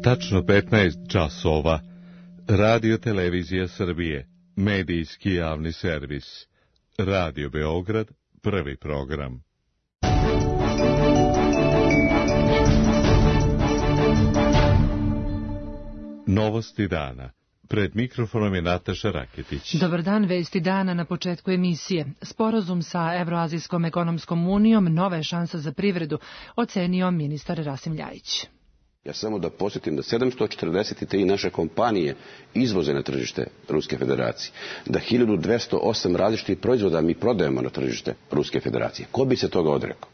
Tačno 15 časova. Radio Televizija Srbije. Medijski javni servis. Radio Beograd. Prvi program. Novosti dana. Pred mikrofonom je Nataša Raketić. Dobar dan, vesti dana na početku emisije. Sporazum sa Evroazijskom ekonomskom unijom nova je šansa za privredu, ocenio ministar Rasim Ljajić. Ja samo da podsjetim da 743 naše kompanije izvoze na tržište Ruske federacije, da 1208 različitih proizvoda mi prodajemo na tržište Ruske federacije. Ko bi se toga odrekao?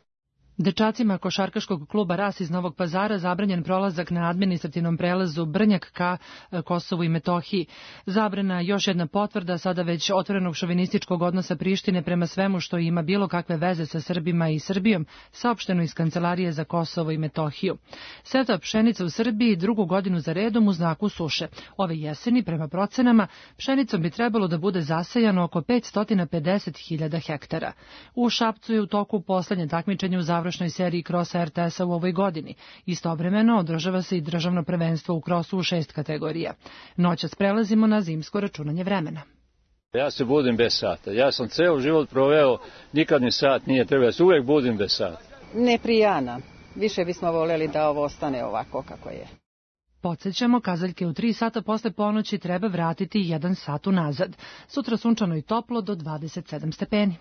Dečacima košarkaškog kluba RAS iz Novog Pazara zabranjen prolazak na administrativnom prelazu Brnjak ka Kosovu i Metohiji. Zabrana još jedna potvrda sada već otvorenog šovinističkog odnosa Prištine prema svemu što ima bilo kakve veze sa Srbima i Srbijom, saopšteno iz Kancelarije za Kosovo i Metohiju. Setva pšenica u Srbiji drugu godinu za redom u znaku suše. Ove jeseni, prema procenama, pšenicom bi trebalo da bude zasejano oko 550.000 hektara. U Šapcu je u toku poslednje takmičenje u završnoj seriji krosa RTS-a u ovoj godini. Istovremeno održava se i državno prvenstvo u krosu u 6 kategorija. Noćas prelazimo na zimsko računanje vremena. Ja se budim bez sata. Ja sam ceo život proveo, nikad ni sat nije trebao. Ja se uvek budim bez sata. Ne prijana. Više bismo voljeli da ovo ostane ovako kako je. Podsećamo, kazaljke u 3 sata posle ponoći treba vratiti 1 sat unazad. Sutra sunčano i toplo do 27 stepeni.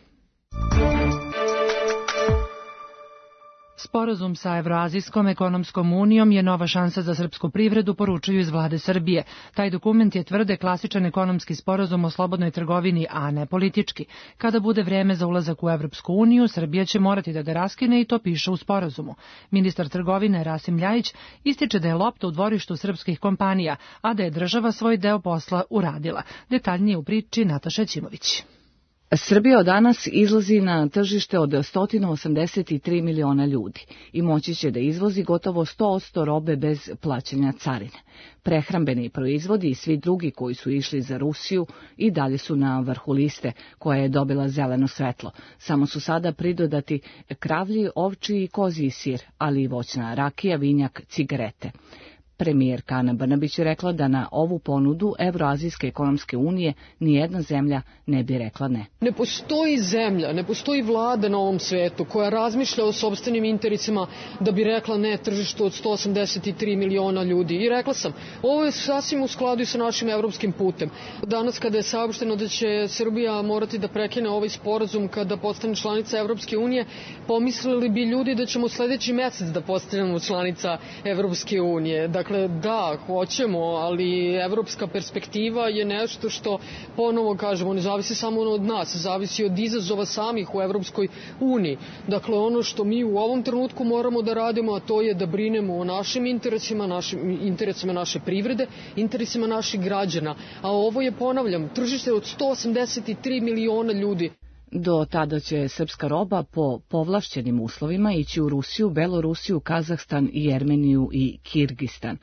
Sporazum sa Evroazijskom ekonomskom unijom je nova šansa za srpsku privredu, poručuju iz vlade Srbije. Taj dokument je, tvrde, klasičan ekonomski sporazum o slobodnoj trgovini, a ne politički. Kada bude vreme za ulazak u Evropsku uniju, Srbija će morati da ga raskine i to piše u sporazumu. Ministar trgovine Rasim Ljajić ističe da je lopta u dvorištu srpskih kompanija, a da je država svoj deo posla uradila. Detaljnije u priči Nataša Ćimović. Srbija od danas izlazi na tržište od 183 miliona ljudi i moći će da izvozi gotovo 100% robe bez plaćanja carine. Prehrambeni proizvodi i svi drugi koji su išli za Rusiju i dalje su na vrhu liste, koja je dobila zeleno svetlo. Samo su sada pridodati kravlji, ovčji i kozji sir, ali i voćna rakija, vinjak, cigarete. Premijerka Ana Brnabić je rekla da na ovu ponudu Evroazijske ekonomske unije nijedna zemlja ne bi rekla ne. Ne postoji zemlja, ne postoji vlada na ovom svetu koja razmišlja o sopstvenim interesima da bi rekla ne tržištu od 183 miliona ljudi. I rekla sam, ovo je sasvim u skladu i sa našim evropskim putem. Danas kada je saopšteno da će Srbija morati da prekine ovaj sporazum kada postane članica Evropske unije, pomislili bi ljudi da ćemo sledeći mesec da postanemo članica Evropske unije. Dakle, da, hoćemo, ali evropska perspektiva je nešto što, ponovo kažemo, ne zavisi samo od nas, zavisi od izazova samih u Evropskoj uniji. Dakle, ono što mi u ovom trenutku moramo da radimo, a to je da brinemo o našim interesima naše privrede, interesima naših građana. A ovo je, ponavljam, tržište od 183 miliona ljudi. Do tada će srpska roba po povlašćenim uslovima ići u Rusiju, Belorusiju, Kazahstan, Jermeniju i Kirgistan.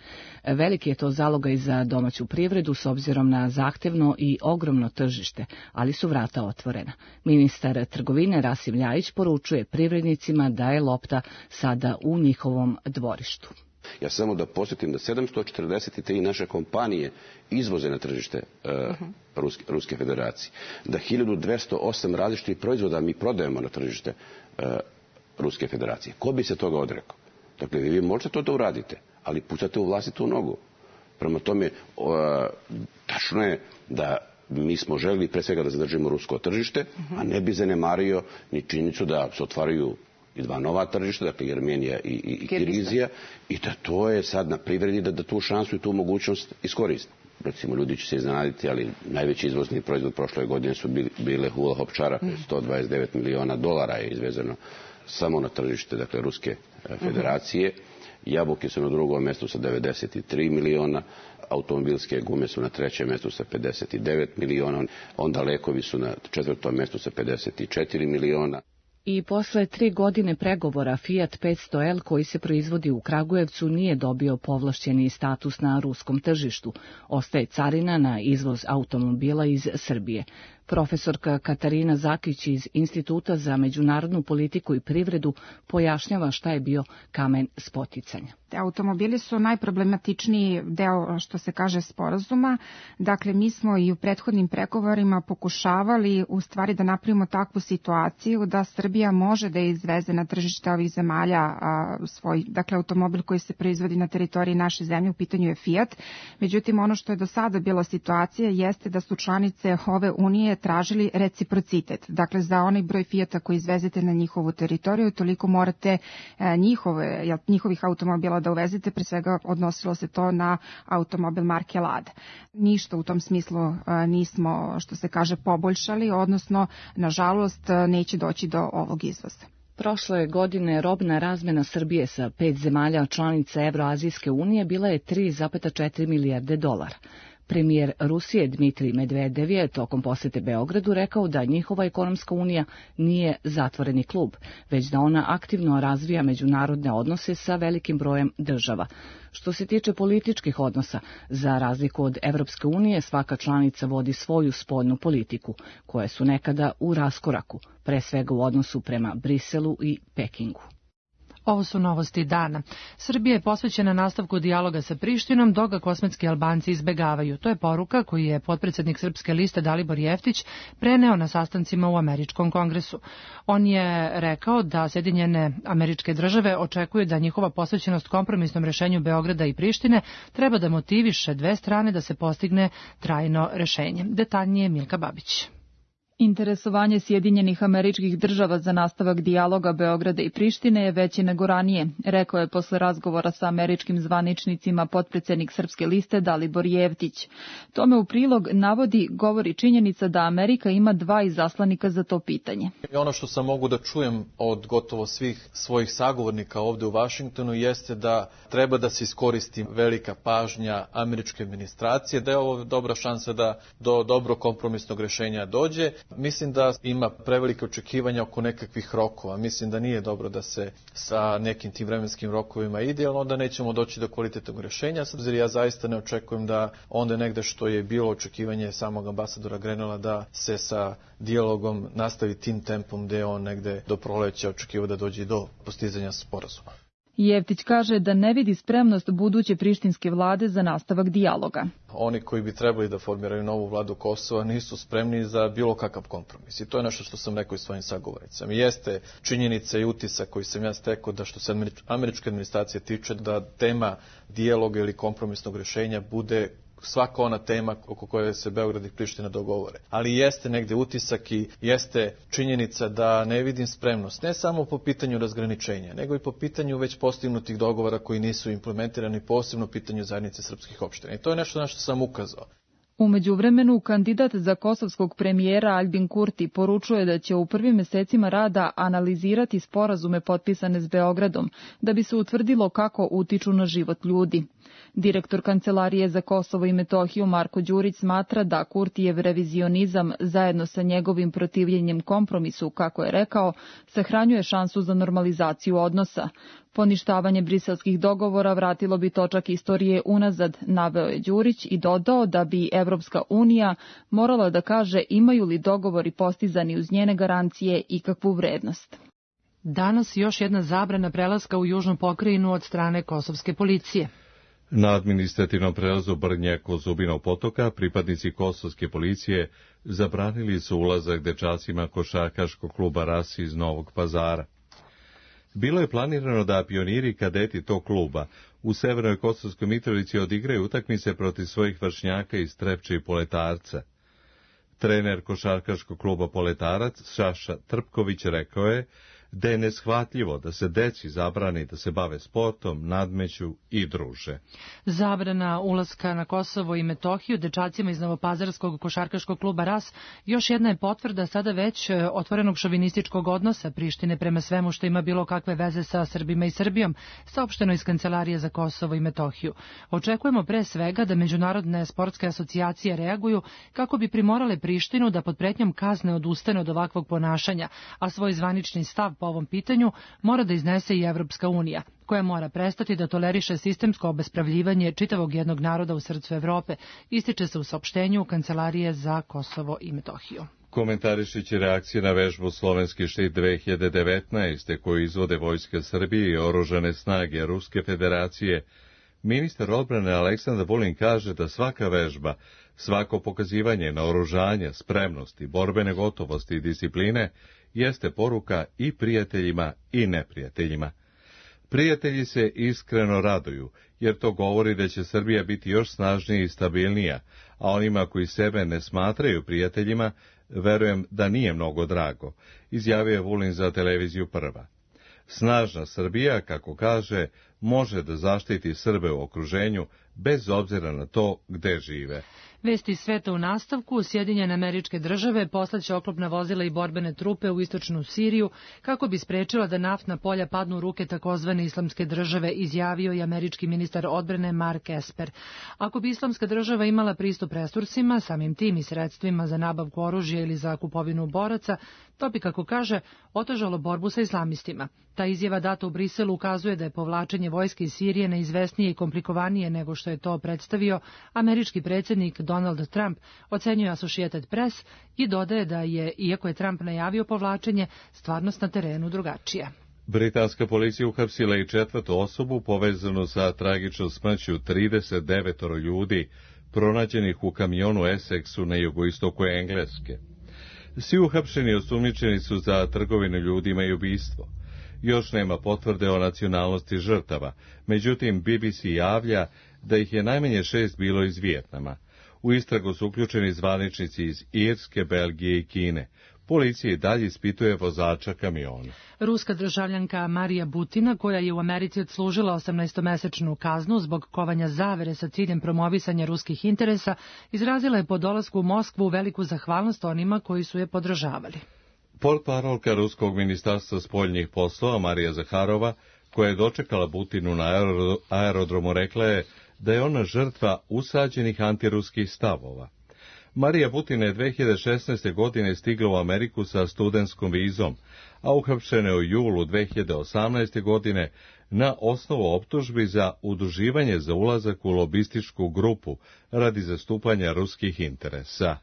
Veliki je to zalogaj za domaću privredu s obzirom na zahtevno i ogromno tržište, ali su vrata otvorena. Ministar trgovine Rasim Ljajić poručuje privrednicima da je lopta sada u njihovom dvorištu. Ja samo da podsjetim da 743 naše kompanije izvoze na tržište Ruske federacije, da 1208 različitih proizvoda mi prodajemo na tržište Ruske federacije. Ko bi se toga odrekao? Dakle, vi možete to da uradite, ali pucate u vlastitu nogu. Prema tome, tačno je da mi smo želeli pre svega da zadržimo rusko tržište, a ne bi zanemario ni činjenicu da se otvaraju i 2 nova tržišta, dakle Jermenija i Kirgizija, i da to je sad na privredi da tu šansu i tu mogućnost iskoristi. Recimo, ljudi će se iznenaditi, ali najveći izvozni proizvod prošle godine su bile hula hop čarape, $129 miliona je izvezeno samo na tržište, dakle, Ruske federacije. Jabuke su na drugom mestu sa 93 miliona, automobilske gume su na 3. mestu sa 59 miliona, onda lekovi su na 4. mestu sa 54 miliona. I posle 3 godine pregovora Fiat 500L koji se proizvodi u Kragujevcu nije dobio povlašćeni status na ruskom tržištu. Ostaje carina na izvoz automobila iz Srbije. Profesorka Katarina Zakić iz Instituta za međunarodnu politiku i privredu pojašnjava šta je bio kamen spoticanja. Automobili su najproblematičniji deo, što se kaže, sporazuma. Dakle, mi smo i u prethodnim pregovorima pokušavali u stvari da napravimo takvu situaciju da Srbija može da izveze na tržište ovih zemalja svoj, dakle, automobil koji se proizvodi na teritoriji naše zemlje, u pitanju je Fiat. Međutim, ono što je do sada bila situacija jeste da su članice ove unije tražili reciprocitet. Dakle, za onaj broj Fiata koji izvezete na njihovu teritoriju, toliko morate njihovih automobila da uvezete, pre svega odnosilo se to na automobil marke Lada. Ništa u tom smislu nismo, što se kaže, poboljšali, odnosno, nažalost, neće doći do ovog izvoza. Prošle godine robna razmena Srbije sa 5 zemalja članica Evroazijske unije bila je 3,4 milijarde dolara. Premijer Rusije Dmitrij Medvedev je tokom posete Beogradu rekao da njihova ekonomska unija nije zatvoreni klub, već da ona aktivno razvija međunarodne odnose sa velikim brojem država. Što se tiče političkih odnosa, za razliku od Evropske unije, svaka članica vodi svoju spoljnu politiku, koje su nekada u raskoraku, pre svega u odnosu prema Briselu i Pekingu. Ovo su novosti dana. Srbija je posvećena nastavku dijaloga sa Prištinom, dok ga kosmetski Albanci izbegavaju. To je poruka koju je potpredsednik Srpske liste Dalibor Jeftić preneo na sastancima u Američkom kongresu. On je rekao da Sjedinjene Američke Države očekuju da njihova posvećenost kompromisnom rešenju Beograda i Prištine treba da motiviše dve strane da se postigne trajno rešenje. Detaljnije Milka Babić. Interesovanje Sjedinjenih Američkih Država za nastavak dijaloga Beograda i Prištine je veće nego ranije, rekao je posle razgovora sa američkim zvaničnicima potpredsednik Srpske liste Dalibor Jeftić. Tome u prilog govori činjenica da Amerika ima 2 izaslanika za to pitanje. Ono što sam mogu da čujem od gotovo svih svojih sagovornika ovde u Vašingtonu jeste da treba da se iskoristi velika pažnja američke administracije, da je ovo dobra šansa da do dobro kompromisnog rešenja dođe. Mislim da ima prevelike očekivanja oko nekakvih rokova. Mislim da nije dobro da se sa nekim tim vremenskim rokovima ide, jer onda nećemo doći do kvalitetnog rešenja. Ja zaista ne očekujem da onda negde što je bilo očekivanje samog ambasadora Grenela da se sa dijalogom nastavi tim tempom gde on negde do proleća očekiva da dođe do postizanja sporazuma. Jeftić kaže da ne vidi spremnost buduće prištinske vlade za nastavak dijaloga. Oni koji bi trebali da formiraju novu vladu Kosova nisu spremni za bilo kakav kompromis. I to je nešto što sam rekao i svojim sagovornicama. Jeste činjenica i utisak koji sam ja stekao da što se američke administracije tiče da tema dijaloga ili kompromisnog rešenja bude svaka ona tema oko koje se Beograd i Priština dogovore. Ali jeste negde utisak i jeste činjenica da ne vidim spremnost, ne samo po pitanju razgraničenja, nego i po pitanju već postignutih dogovora koji nisu implementirani, posebno pitanju zajednice srpskih opština. I to je nešto na što sam ukazao. U međuvremenu, kandidat za kosovskog premijera Aljbin Kurti poručuje da će u prvim mesecima rada analizirati sporazume potpisane s Beogradom, da bi se utvrdilo kako utiču na život ljudi. Direktor Kancelarije za Kosovo i Metohiju Marko Đurić smatra da Kurtijev revizionizam zajedno sa njegovim protivljenjem kompromisu, kako je rekao, sahranjuje šansu za normalizaciju odnosa. Poništavanje briselskih dogovora vratilo bi točak istorije unazad, naveo je Đurić i dodao da bi Evropska unija morala da kaže imaju li dogovori postizani uz njene garancije i kakvu vrednost. Danas još jedna zabrana prelaska u južnu pokrajinu od strane kosovske policije. Na administrativnom prelazu Brnjak-Zubinog potoka pripadnici kosovske policije zabranili su ulazak dečacima košarkaškog kluba Ras iz Novog Pazara. Bilo je planirano da pioniri kadeti tog kluba u Severnoj Kosovskoj Mitrovici odigraju utakmice protiv svojih vršnjaka iz Trepče i Poletarca. Trener košarkaškog kluba Poletarac, Saša Trpković, rekao je da je neshvatljivo da se deci zabrani da se bave sportom, nadmeću i druže. Zabrana ulaska na Kosovo i Metohiju dečacima iz Novopazarskog košarkaškog kluba Ras još jedna je potvrda sada već otvorenog šovinističkog odnosa Prištine prema svemu što ima bilo kakve veze sa Srbima i Srbijom, saopšteno iz Kancelarije za Kosovo i Metohiju. Očekujemo pre svega da međunarodne sportske asocijacije reaguju kako bi primorale Prištinu da pod pretnjom kazne odustane od ovakvog ponašanja, a svoj zvanični stav po ovom pitanju mora da iznese i Evropska unija, koja mora prestati da toleriše sistemsko obespravljivanje čitavog jednog naroda u srcu Evrope, ističe se u saopštenju Kancelarije za Kosovo i Metohiju. Komentarišući reakcije na vežbu Slovenski štit 2019. koju izvode Vojska Srbije i oružane snage Ruske federacije, ministar odbrane Aleksandar Vulin kaže da svaka vežba, svako pokazivanje naoružanja, spremnosti, borbene gotovosti i discipline jeste poruka i prijateljima i neprijateljima. Prijatelji se iskreno raduju, jer to govori da će Srbija biti još snažnija i stabilnija, a onima koji sebe ne smatraju prijateljima, verujem da nije mnogo drago, izjavio je Vulin za televiziju Prva. Snažna Srbija, kako kaže, može da zaštiti Srbe u okruženju, bez obzira na to gde žive. Vesti sveta u nastavku, Sjedinjene Američke Države poslaće oklopna vozila i borbene trupe u istočnu Siriju kako bi sprečila da naftna polja padnu u ruke takozvane Islamske države, izjavio je američki ministar odbrane Mark Esper. Ako bi Islamska država imala pristup resursima, samim tim i sredstvima za nabavku oružja ili za kupovinu boraca, to bi, kako kaže, otežalo borbu sa islamistima. Ta izjava data u Briselu ukazuje da je povlačenje vojske iz Sirije neizvesnije i komplikovanije nego što je to predstavio američki predsjednik Donald Trump, ocenjuje Associated Press i dodaje da je, iako je Trump najavio povlačenje, stvarnost na terenu drugačija. Britanska policija uhapsila i četvrtu osobu povezanu sa tragičnom smrću 39 ljudi pronađenih u kamionu Essexu na jugoistoku Engleske. Svi uhapšeni osumnjičeni su za trgovinu ljudima i ubistvo. Još nema potvrde o nacionalnosti žrtava, međutim BBC javlja da ih je najmanje 6 bilo iz Vijetnama. U istragu su uključeni zvaničnici iz Irske, Belgije i Kine. Policija i dalje ispituje vozača kamiona. Ruska državljanka Marija Butina, koja je u Americi odslužila 18-mesečnu kaznu zbog kovanja zavere sa ciljem promovisanja ruskih interesa, izrazila je po dolasku u Moskvu veliku zahvalnost onima koji su je podržavali. Portparolka Ruskog ministarstva spoljnih poslova Marija Zaharova, koja je dočekala Butinu na aerodromu, rekla je da je ona žrtva usađenih antiruskih stavova. Marija Butina je 2016. godine stigla u Ameriku sa studentskom vizom, a uhapšena je u julu 2018. godine na osnovu optužbi za udruživanje za ulazak u lobističku grupu radi zastupanja ruskih interesa.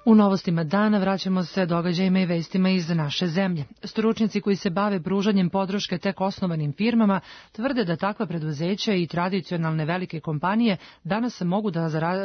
U novostima dana vraćamo se događajima i vestima iz naše zemlje. Stručnjaci koji se bave pružanjem podrške tek osnovanim firmama tvrde da takva preduzeća i tradicionalne velike kompanije danas mogu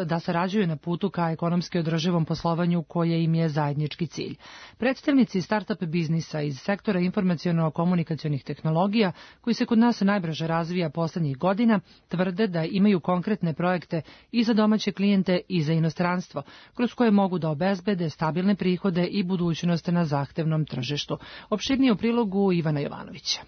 da sarađuju na putu ka ekonomski održivom poslovanju koje im je zajednički cilj. Predstavnici start-up biznisa iz sektora informaciono-komunikacionih tehnologija, koji se kod nas najbrže razvija poslednjih godina, tvrde da imaju konkretne projekte i za domaće klijente i za inostranstvo, kroz koje mogu da obezbede stabilne prihode i budućnost na zahtevnom tržištu. Opširnije u prilogu Ivana Jovanovića.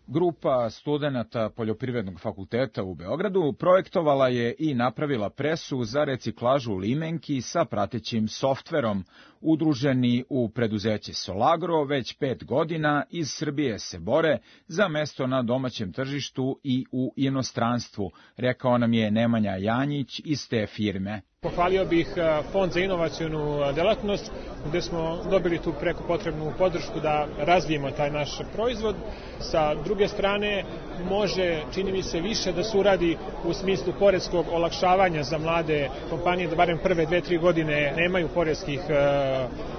Grupa studenata Poljoprivrednog fakulteta u Beogradu projektovala je i napravila presu za reciklažu limenki sa pratećim softverom. Udruženi u preduzeće Solagro već 5 godina iz Srbije se bore za mesto na domaćem tržištu i u inostranstvu, rekao nam je Nemanja Janjić iz te firme. Pohvalio bih Fond za inovacionu delatnost, gde smo dobili tu preko potrebnu podršku da razvijemo taj naš proizvod. Sa druge strane, može, čini mi se, više da se uradi u smislu poreskog olakšavanja za mlade kompanije, da barem prve 2-3 godine nemaju poreskih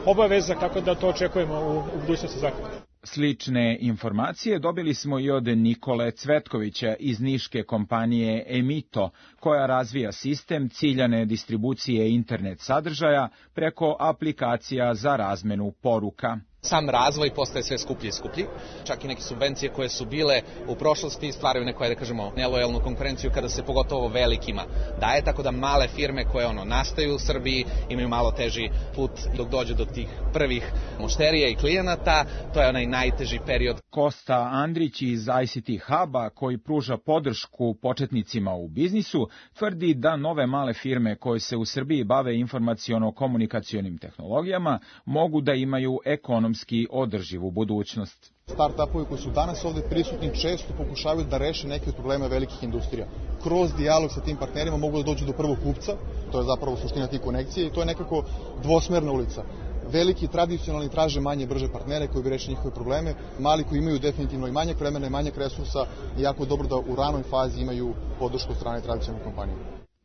obaveza, kako da to očekujemo u budućnosti zakona. Slične informacije dobili smo i od Nikole Cvetkovića iz niške kompanije Emito, koja razvija sistem ciljane distribucije internet sadržaja preko aplikacija za razmenu poruka. Sam razvoj postaje sve skuplji i skuplji. Čak i neke subvencije koje su bile u prošlosti stvaraju neku, da kažemo, nelojalnu konkurenciju kada se pogotovo velikima daje, tako da male firme koje nastaju u Srbiji imaju malo teži put dok dođe do tih prvih mušterija i klijenata. To je onaj najteži period. Kosta Andrić iz ICT Huba, koji pruža podršku početnicima u biznisu, tvrdi da nove male firme koje se u Srbiji bave informaciono-komunikacionim tehnologijama mogu da imaju ekonomski održivu budućnost. Start-upovi koji su danas ovde prisutni često pokušavaju da reše neke od problema velikih industrija. Kroz dijalog sa tim partnerima mogu da dođu do prvog kupca, to je zapravo suština tih konekcija i to je nekako dvosmerna ulica. Veliki tradicionalni traže manje brže partnere koji bi rešili njihove probleme, mali koji imaju definitivno i manjak vremena i manjak resursa i jako dobro da u ranoj fazi imaju podršku od strane tradicionalne kompanije.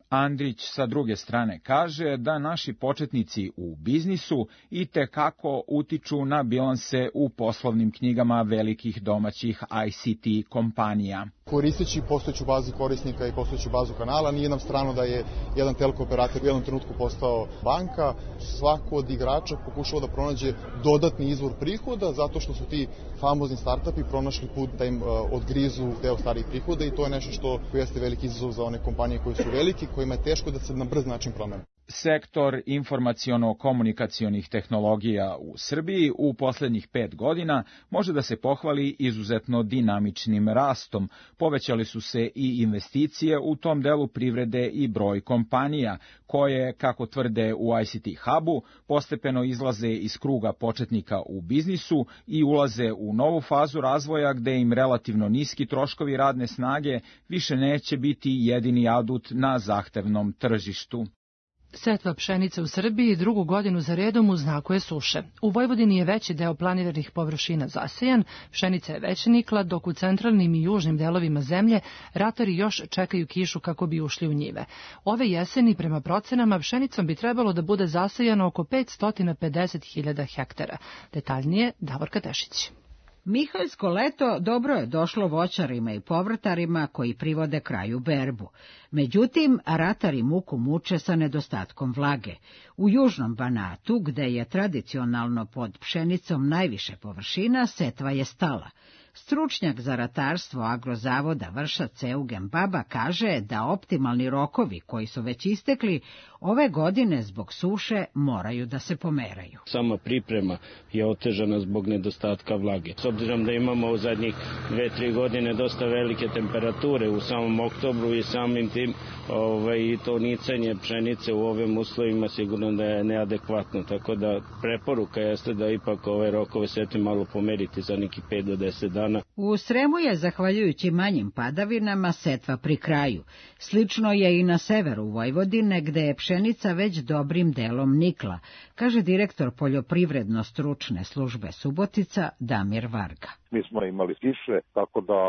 Andrić sa druge strane kaže da naši početnici u biznisu i tekako utiču na bilanse u poslovnim knjigama velikih domaćih ICT kompanija. Koristeći postojeću bazu korisnika i postojeću bazu kanala, nije nam strano da je jedan telko operator u jednom trenutku postao banka. Svako od igrača pokušava da pronađe dodatni izvor prihoda zato što su ti famozni startupi pronašli put da im odgrizu deo starih prihoda i to je nešto što jeste veliki izazov za one kompanije koje su velike, kojima je teško da se na brz način promene. Sektor informaciono-komunikacionih tehnologija u Srbiji u poslednjih 5 godina može da se pohvali izuzetno dinamičnim rastom. Povećali su se i investicije u tom delu privrede i broj kompanija, koje, kako tvrde u ICT Hubu, postepeno izlaze iz kruga početnika u biznisu i ulaze u novu fazu razvoja gde im relativno niski troškovi radne snage više neće biti jedini adut na zahtevnom tržištu. Setva pšenice u Srbiji drugu godinu za redom u znaku je suše. U Vojvodini je veći deo planiranih površina zasejan, pšenica je već nikla, dok u centralnim i južnim delovima zemlje ratari još čekaju kišu kako bi ušli u njive. Ove jeseni, prema procenama, pšenicom bi trebalo da bude zasejano oko 550.000 hektara. Detaljnije Davorka Tešić. Mihaljsko leto dobro je došlo voćarima i povrtarima koji privode kraju berbu. Međutim, ratari muku muče sa nedostatkom vlage. U južnom Banatu, gde je tradicionalno pod pšenicom najviše površina, setva je stala. Stručnjak za ratarstvo Agrozavoda Vršac Eugen Baba kaže da optimalni rokovi koji su već istekli ove godine zbog suše moraju da se pomeraju. Sama priprema je otežana zbog nedostatka vlage. S obzirom da imamo u zadnjih 2-3 godine dosta velike temperature u samom oktobru i samim tim to nicanje pšenice u ovim uslovima sigurno da je neadekvatno, tako da preporuka jeste da ipak ove rokove setve malo pomeriti za nekih 5 do 10 dana. U Sremu je, zahvaljujući manjim padavinama, setva pri kraju. Slično je i na severu Vojvodine, gde je pšenica već dobrim delom nikla, kaže direktor poljoprivredno-stručne službe Subotica Damir Varga. Mi smo imali kiše, tako da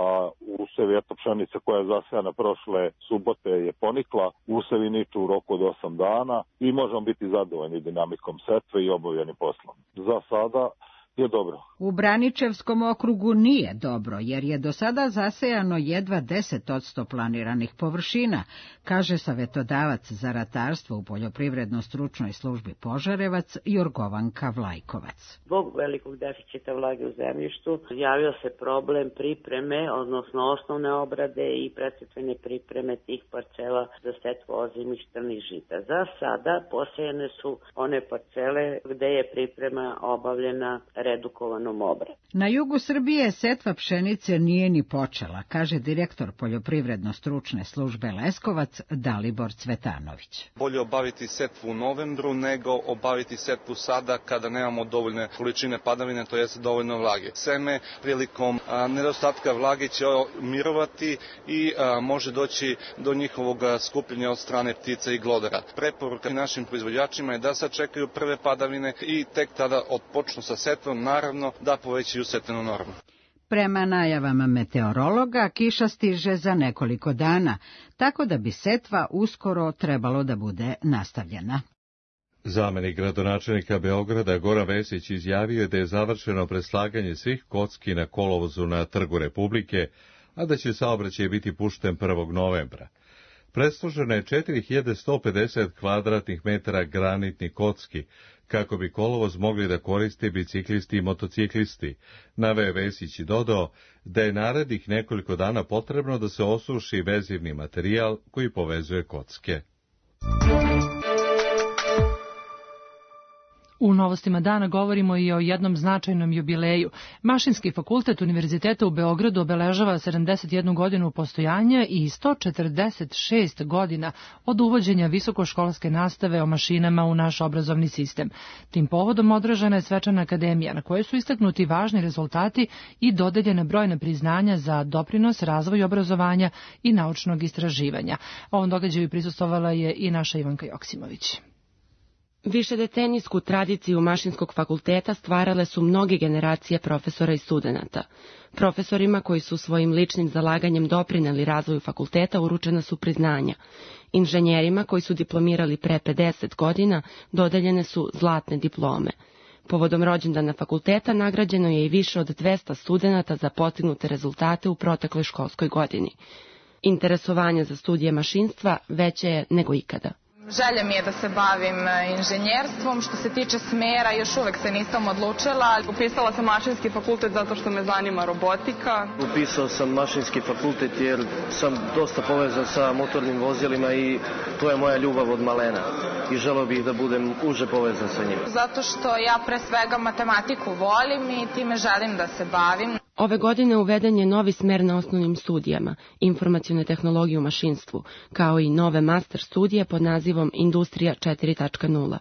usevi pšenica koja je zasejana prošle subote je ponikla, usevi niču u roku od 8 dana i možemo biti zadovoljni dinamikom setve i obavljenim poslom. Za sada je dobro. U Braničevskom okrugu nije dobro, jer je do sada zasejano jedva 10% planiranih površina, kaže savetodavac za ratarstvo u poljoprivredno-stručnoj službi Požarevac Jorgovanka Vlajkovac. Zbog velikog deficita vlage u zemljištu javio se problem pripreme, odnosno osnovne obrade i predsetvene pripreme tih parcela za setvu ozimih strnih žita. Za sada posejene su one parcele gde je priprema obavljena redukovanom obradu. Na jugu Srbije setva pšenice nije ni počela, kaže direktor poljoprivredno-stručne službe Leskovac Dalibor Cvetanović. Bolje obaviti setvu u novembru nego obaviti setvu sada kada nemamo dovoljne količine padavine, to jest dovoljno vlage. Seme prilikom nedostatka vlage će mirovati i može doći do njihovog skupljenja od strane ptica i glodara. Preporuka našim proizvođačima je da sačekaju prve padavine i tek tada odpočnu sa setvom, naravno da povećaju setvenu normu. Prema najavama meteorologa, kiša stiže za nekoliko dana, tako da bi setva uskoro trebalo da bude nastavljena. Zamenik gradonačelnika Beograda Goran Vesić izjavio je da je završeno preslaganje svih kocki na kolovozu na Trgu Republike, a da će saobraćaj biti pušten 1. novembra. Presloženo je 4150 kvadratnih metara granitnih kocki, kako bi kolovoz mogli da koriste biciklisti i motociklisti. Naveo Vesić i dodao da je narednih nekoliko dana potrebno da se osuši vezivni materijal koji povezuje kocke. U novostima dana govorimo i o jednom značajnom jubileju. Mašinski fakultet Univerziteta u Beogradu obeležava 71 godinu postojanja i 146 godina od uvođenja visokoškolske nastave o mašinama u naš obrazovni sistem. Tim povodom održana je svečana akademija na kojoj su istaknuti važni rezultati i dodeljene brojne priznanja za doprinos razvoju obrazovanja i naučnog istraživanja. Ovom događaju prisustvovala je i naša Ivanka Joksimović. Višedecenijsku tradiciju Mašinskog fakulteta stvarale su mnoge generacije profesora i studenata. Profesorima koji su svojim ličnim zalaganjem doprineli razvoju fakulteta uručena su priznanja. Inženjerima koji su diplomirali pre 50 godina dodeljene su zlatne diplome. Povodom rođendana fakulteta nagrađeno je i više od 200 studenata za postignute rezultate u protekloj školskoj godini. Interesovanje za studije mašinstva veće je nego ikada. Želja mi je da se bavim inženjerstvom. Što se tiče smera, još uvek se nisam odlučila. Upisala sam mašinski fakultet zato što me zanima robotika. Upisao sam mašinski fakultet jer sam dosta povezan sa motornim vozilima i to je moja ljubav od malena. I želeo bih da budem uže povezan sa njim. Zato što ja pre svega matematiku volim i time želim da se bavim. Ove godine uveden je novi smer na osnovnim studijama, informacione tehnologije u mašinstvu, kao i nove master studije pod nazivom Industrija 4.0.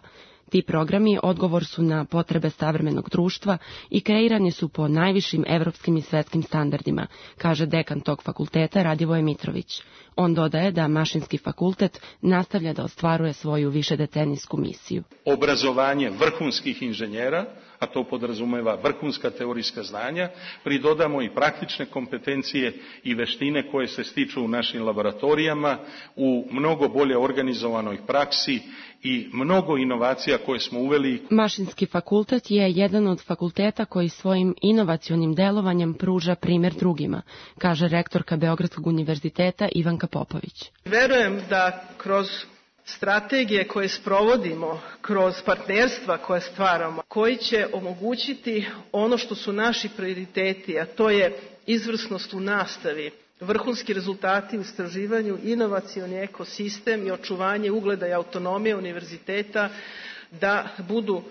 Ti programi odgovor su na potrebe savremenog društva i kreirani su po najvišim evropskim i svetskim standardima, kaže dekan tog fakulteta Radivoje Mitrović. On dodaje da Mašinski fakultet nastavlja da ostvaruje svoju višedecenijsku misiju. Obrazovanje vrhunskih inženjera, a to podrazumeva vrhunska teorijska znanja, pridodamo i praktične kompetencije i veštine koje se stiču u našim laboratorijama, u mnogo bolje organizovanoj praksi i mnogo inovacija koje smo uveli. Mašinski fakultet je jedan od fakulteta koji svojim inovacionim delovanjem pruža primjer drugima, kaže rektorka Beogradskog univerziteta Ivanka Popović. Verujem da kroz strategije koje sprovodimo, kroz partnerstva koje stvaramo, koji će omogućiti ono što su naši prioriteti, a to je izvrsnost u nastavi, vrhunski rezultati u istraživanju, inovacioni ekosistem i očuvanje ugleda i autonomije univerziteta, da budu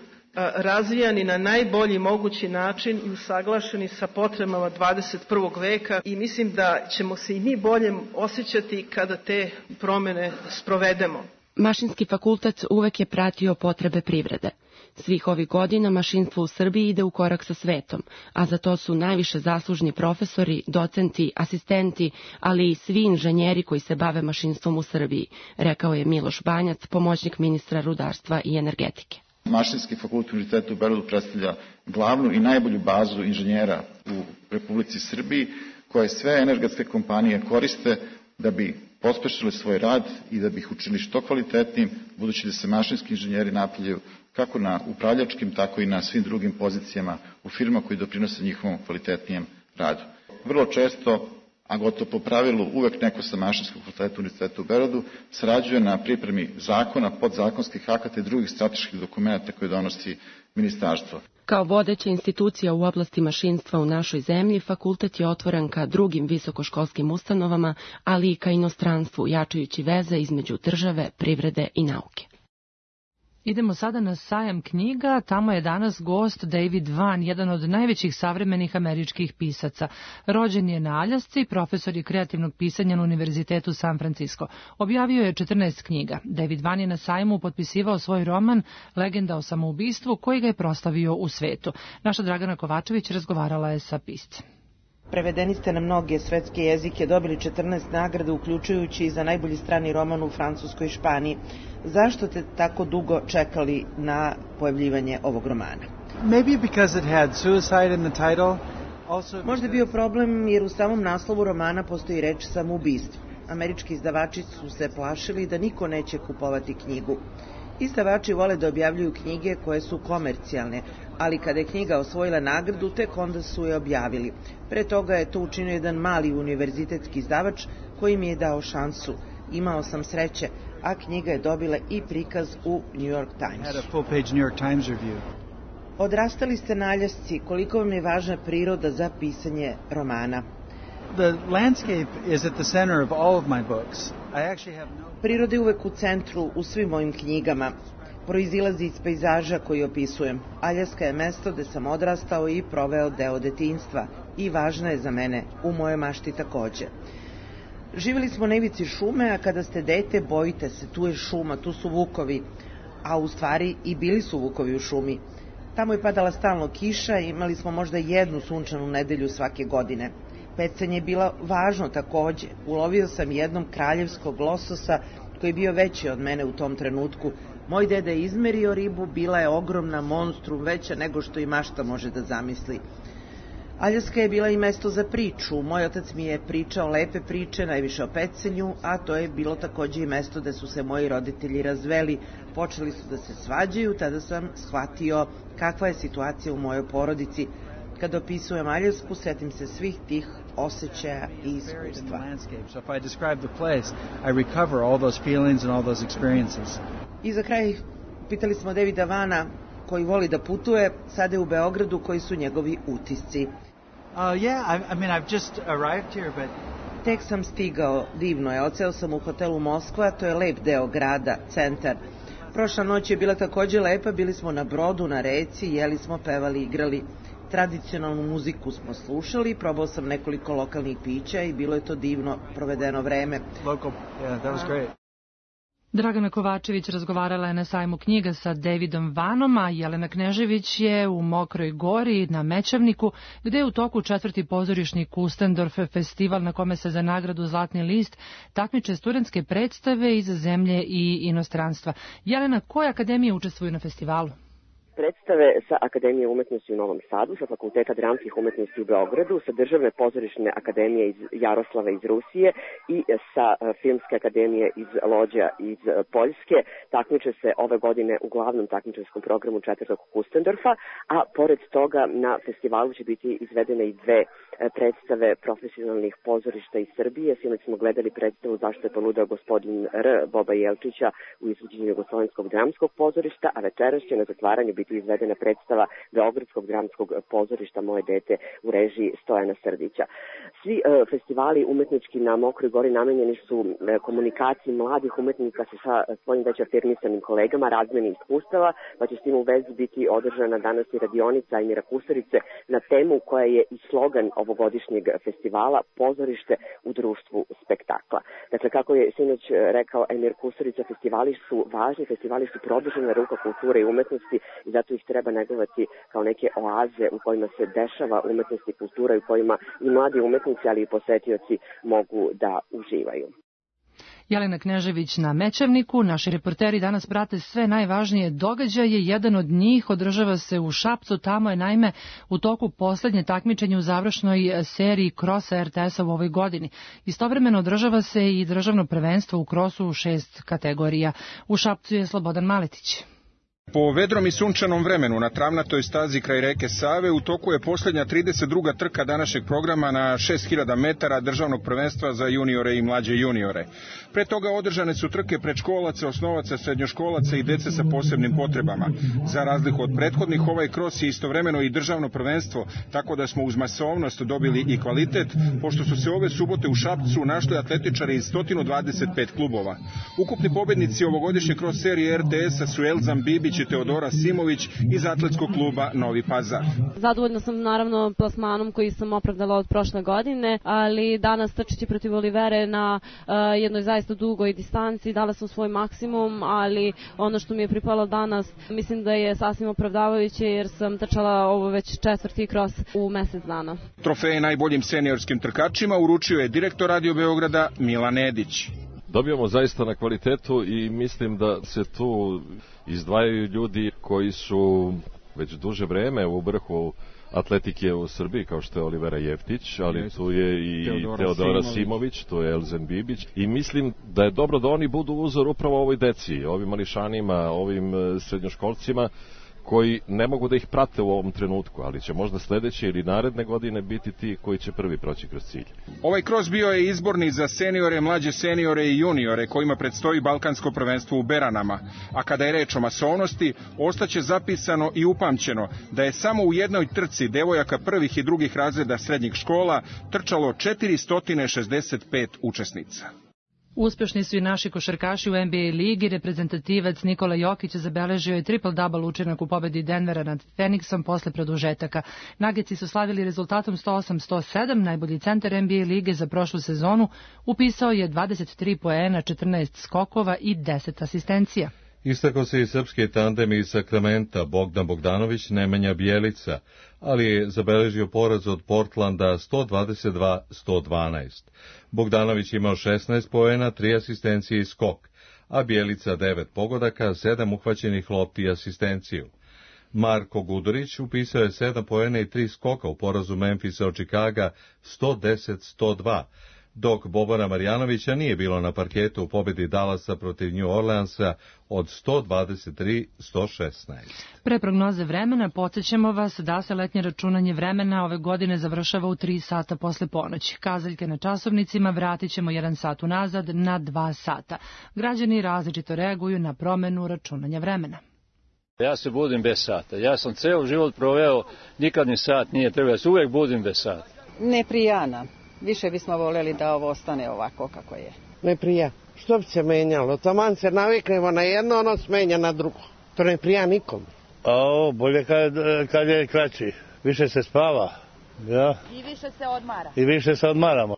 razvijani na najbolji mogući način i usaglašeni sa potrebama 21. veka i mislim da ćemo se i mi bolje osjećati kada te promene sprovedemo. Mašinski fakultet uvek je pratio potrebe privrede. Svih ovih godina mašinstvo u Srbiji ide u korak sa svetom, a za to su najviše zaslužni profesori, docenti, asistenti, ali i svi inženjeri koji se bave mašinstvom u Srbiji, rekao je Miloš Banjac, pomoćnik ministra rudarstva i energetike. Mašinski fakultet Univerziteta u Beogradu predstavlja glavnu i najbolju bazu inženjera u Republici Srbiji, koje sve energetske kompanije koriste da bi pospešili svoj rad i da bi ih učinili što kvalitetnijim, budući da se mašinski inženjeri napredaju kako na upravljačkim, tako i na svim drugim pozicijama u firmama koji doprinose njihovom kvalitetnijem radu. Vrlo često, a gotovo po pravilu uvek neko sa Mašinskog fakulteta Univerziteta u Beogradu sarađuje na pripremi zakona, podzakonskih akata i drugih strateških dokumenta koje donosi ministarstvo. Kao vodeća institucija u oblasti mašinstva u našoj zemlji, fakultet je otvoren ka drugim visokoškolskim ustanovama, ali i ka inostranstvu, jačajući veze između države, privrede i nauke. Idemo sada na sajam knjiga. Tamo je danas gost David Vann, jedan od najvećih savremenih američkih pisaca. Rođen je na Aljasci, profesor je kreativnog pisanja na Univerzitetu San Francisco. Objavio je 14 knjiga. David Vann je na sajmu potpisivao svoj roman Legenda o samoubistvu, koji ga je proslavio u svetu. Naša Dragana Kovačević razgovarala je sa piscem. Prevedeni ste na mnoge svetske jezike, dobili 14 nagrada, uključujući i za najbolji strani roman u Francuskoj i Španiji. Zašto ste tako dugo čekali na pojavljivanje ovog romana? Možda je bio problem jer u samom naslovu romana postoji reč samoubistvo. Američki izdavači su se plašili da niko neće kupovati knjigu. Izdavači vole da objavljuju knjige koje su komercijalne, ali kada je knjiga osvojila nagradu, tek onda su je objavili. Pre toga je to učinio jedan mali univerzitetski izdavač koji mi je dao šansu. Imao sam sreće, a knjiga je dobila i prikaz u New York Times. Odrastali ste na Aljasci, koliko vam je važna priroda za pisanje romana? Priroda je uvek u centru u svim mojim knjigama. Proizilazi iz pejzaža koji opisujem. Aljaska je mesto gde sam odrastao i proveo deo detinjstva i važna je za mene, u mojoj mašti takođe. Živjeli smo na ivici šume, a kada ste dete bojite se, tu je šuma, tu su vukovi, a u stvari i bili su vukovi u šumi. Tamo je padala stalno kiša i imali smo možda jednu sunčanu nedelju svake godine. Pecanje je bilo važno takođe. Ulovio sam jednom kraljevskog lososa koji je bio veći od mene u tom trenutku, Moj deda je izmerio ribu, bila je ogromna, monstrum, veća nego što i mašta može da zamisli. Aljaska je bila i mesto za priču. Moj otac mi je pričao lepe priče, najviše o pecenju, a to je bilo takođe i mesto gde su se moji roditelji razveli. Počeli su da se svađaju, tada sam shvatio kakva je situacija u mojoj porodici. Kada opisujem Aljasku, setim se svih tih osjećaja i iskustva. I za kraj pitali smo Davida Vana, koji voli da putuje, sada je u Beogradu, koji su njegovi utisci. Tek sam stigao, divno je, odseo sam u hotelu Moskva, to je lep deo grada, centar. Prošla noć je bila takođe lepa, bili smo na brodu, na reci, jeli smo, pevali, igrali. Tradicionalnu muziku smo slušali, probao sam nekoliko lokalnih pića i bilo je to divno provedeno vreme. Dragana Kovačević razgovarala je na sajmu knjiga sa Davidom Vanom, a Jelena Knežević je u Mokroj Gori na Mećavniku, gde je u toku 4. pozorišni Kustendorf festival na kome se za nagradu Zlatni list takmiče studentske predstave iz zemlje i inostranstva. Jelena, koje akademije učestvuju na festivalu? Predstave sa Akademije umetnosti u Novom Sadu, sa Fakulteta dramskih umetnosti u Beogradu, sa Državne pozorišne akademije iz Jaroslava iz Rusije i sa Filmske akademije iz Lođa iz Poljske. Takmiče se ove godine u glavnom takmičarskom programu 4. Kustendorfa, a pored toga na festivalu će biti izvedene i dve predstave profesionalnih pozorišta iz Srbije. Sinoć smo gledali predstavu Zašto je poludeo gospodin R. Boba Jelčića u izvođenju Jugoslovenskog dramskog pozorišta, a večeras će na zatvaranju biti izvedena predstava Beogradskog dramskog pozorišta Moje dete u režiji Stojana Srdića. Svi festivali umetnički na Mokroj Gori namenjeni su komunikaciji mladih umetnika sa svojim već afirmisanim kolegama, razmeni iskustava, pa će s tim u vezi biti održana danas i radionica Emira Kusurice na temu koja je i slogan ovogodišnjeg festivala Pozorište u društvu spektakla. Dakle, kako je sinoć rekao Emir Kusurica, festivali su važni, festivali su produžena ruka kulture i umetnosti i zato ih treba negovati kao neke oaze u kojima se dešava umetnost i kultura i u kojima i mladi umetnici, ali i posetioci mogu da uživaju. Jelena Knežević na Mećavniku. Naši reporteri danas prate sve najvažnije događaje. Jedan od njih održava se u Šapcu. Tamo je naime u toku poslednje takmičenje u završnoj seriji krosa RTS-a u ovoj godini. Istovremeno održava se i državno prvenstvo u krosu u 6 kategorija. U Šapcu je Slobodan Maletić. Po vedrom i sunčanom vremenu na travnatoj stazi kraj reke Save u toku je posljednja 32. trka današnjeg programa na 6000 metara državnog prvenstva za juniore i mlađe juniore. Pre toga održane su trke predškolaca, osnovaca, srednjoškolaca i dece sa posebnim potrebama. Za razliku od prethodnih, ovaj kros je istovremeno i državno prvenstvo, tako da smo uz masovnost dobili i kvalitet, pošto su se ove subote u Šapcu našli atletičari iz 125 klubova. Ukupni pobednici ovogodišnje kros serije RTS-a su Elzan Bibić i Teodora Simović iz atletskog kluba Novi Pazar. Zadovoljna sam naravno plasmanom koji sam opravdala od prošle godine, ali danas trčeći protiv Olivere na jednoj zaista dugoj distanci dala sam svoj maksimum, ali ono što mi je pripalo danas mislim da je sasvim opravdavajuće jer sam trčala ovo već 4. kros u mesec dana. Trofeje najboljim seniorskim trkačima uručio je direktor Radio Beograda Milan Edić. Dobijamo zaista na kvalitetu i mislim da se tu izdvajaju ljudi koji su već duže vreme u vrhu atletike u Srbiji, kao što je Olivera Jeftić, ali tu je i Teodora Simović, tu je Elzen Bibić i mislim da je dobro da oni budu uzor upravo ovoj deci, ovim mališanima, ovim srednjoškolcima koji ne mogu da ih prate u ovom trenutku, ali će možda sledeće ili naredne godine biti ti koji će prvi proći kroz cilj. Ovaj kros bio je izborni za seniore, mlađe seniore i juniore kojima predstoji Balkansko prvenstvo u Beranama. A kada je reč o masovnosti, ostaće zapisano i upamćeno da je samo u jednoj trci devojaka prvih i drugih razreda srednjih škola trčalo 465 učesnica. Uspešni su i naši košarkaši u NBA ligi. Reprezentativac Nikola Jokić zabeležio je triple-double učinak u pobedi Denvera nad Phoenixom posle produžetaka. Nuggetsi su slavili rezultatom 108-107. Najbolji centar NBA lige za prošlu sezonu upisao je 23 poena, 14 skokova i 10 asistencija. Istakao se i srpski tandem iz Sakramenta Bogdan Bogdanović, Nemanja Bjelica, ali je zabeležio poraz od Portlanda 122-112. Bogdanović imao 16 poena, 3 asistencije i skok, a Bjelica 9 pogodaka, 7 uhvaćenih lopti i asistenciju. Marko Gudurić upisao je 7 poena i 3 skoka u porazu Memphisa od Chicaga 110-102, dok Bobana Marjanovića nije bilo na parketu u pobedi Dallasa protiv New Orleansa od 123-116. Pre prognoze vremena podsjećamo vas da se letnje računanje vremena ove godine završava u 3 sata posle ponoći. Kazaljke na časovnicima vratit ćemo 1 sat unazad na 2 sata. Građani različito reaguju na promenu računanja vremena. Ja se budim bez sata. Ja sam ceo život proveo, nikad ni sat nije trebao. Ja se uvek budim bez sata. Ne prijana. Više bismo voljeli da ovo ostane ovako kako je. Ne prija. Što bi se menjalo? Taman se naviknemo na jedno, ono smenja na drugo. To ne prija nikom. Bolje kad je kraći. Više se spava. Ja. I više se odmara. I više se odmaramo.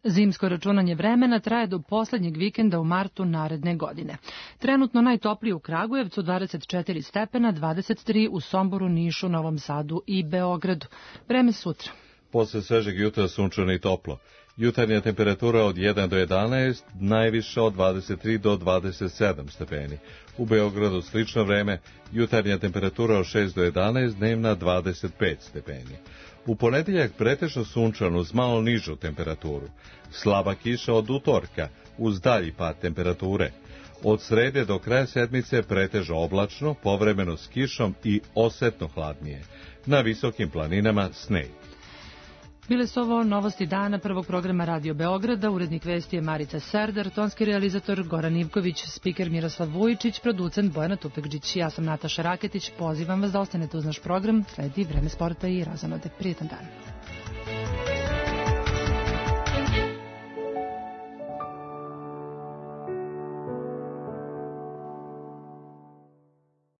Zimsko računanje vremena traje do poslednjeg vikenda u martu naredne godine. Trenutno najtoplije u Kragujevcu 24 stepena, 23 u Somboru, Nišu, Novom Sadu i Beogradu. Vreme sutra. Posle svežeg jutra sunčano i toplo. Jutarnja temperatura od 1 do 11, najviša od 23 do 27 stepeni. U Beogradu slično vreme, jutarnja temperatura od 6 do 11, dnevna 25 stepeni. U ponedeljak pretežno sunčano uz malo nižu temperaturu. Slaba kiša od utorka, uz dalji pad temperature. Od srede do kraja sedmice pretežno oblačno, povremeno s kišom i osetno hladnije. Na visokim planinama sneg. Bile su ovo novosti dana prvog programa Radio Beograda, urednik vesti je Marica Serdar, tonski realizator Goran Ivković, spiker Miroslav Vujičić, producent Bojana Tupekđić. Ja sam Nataša Raketić, pozivam vas da ostanete uz naš program, sledi Vreme sporta i razonode. Prijetan dan.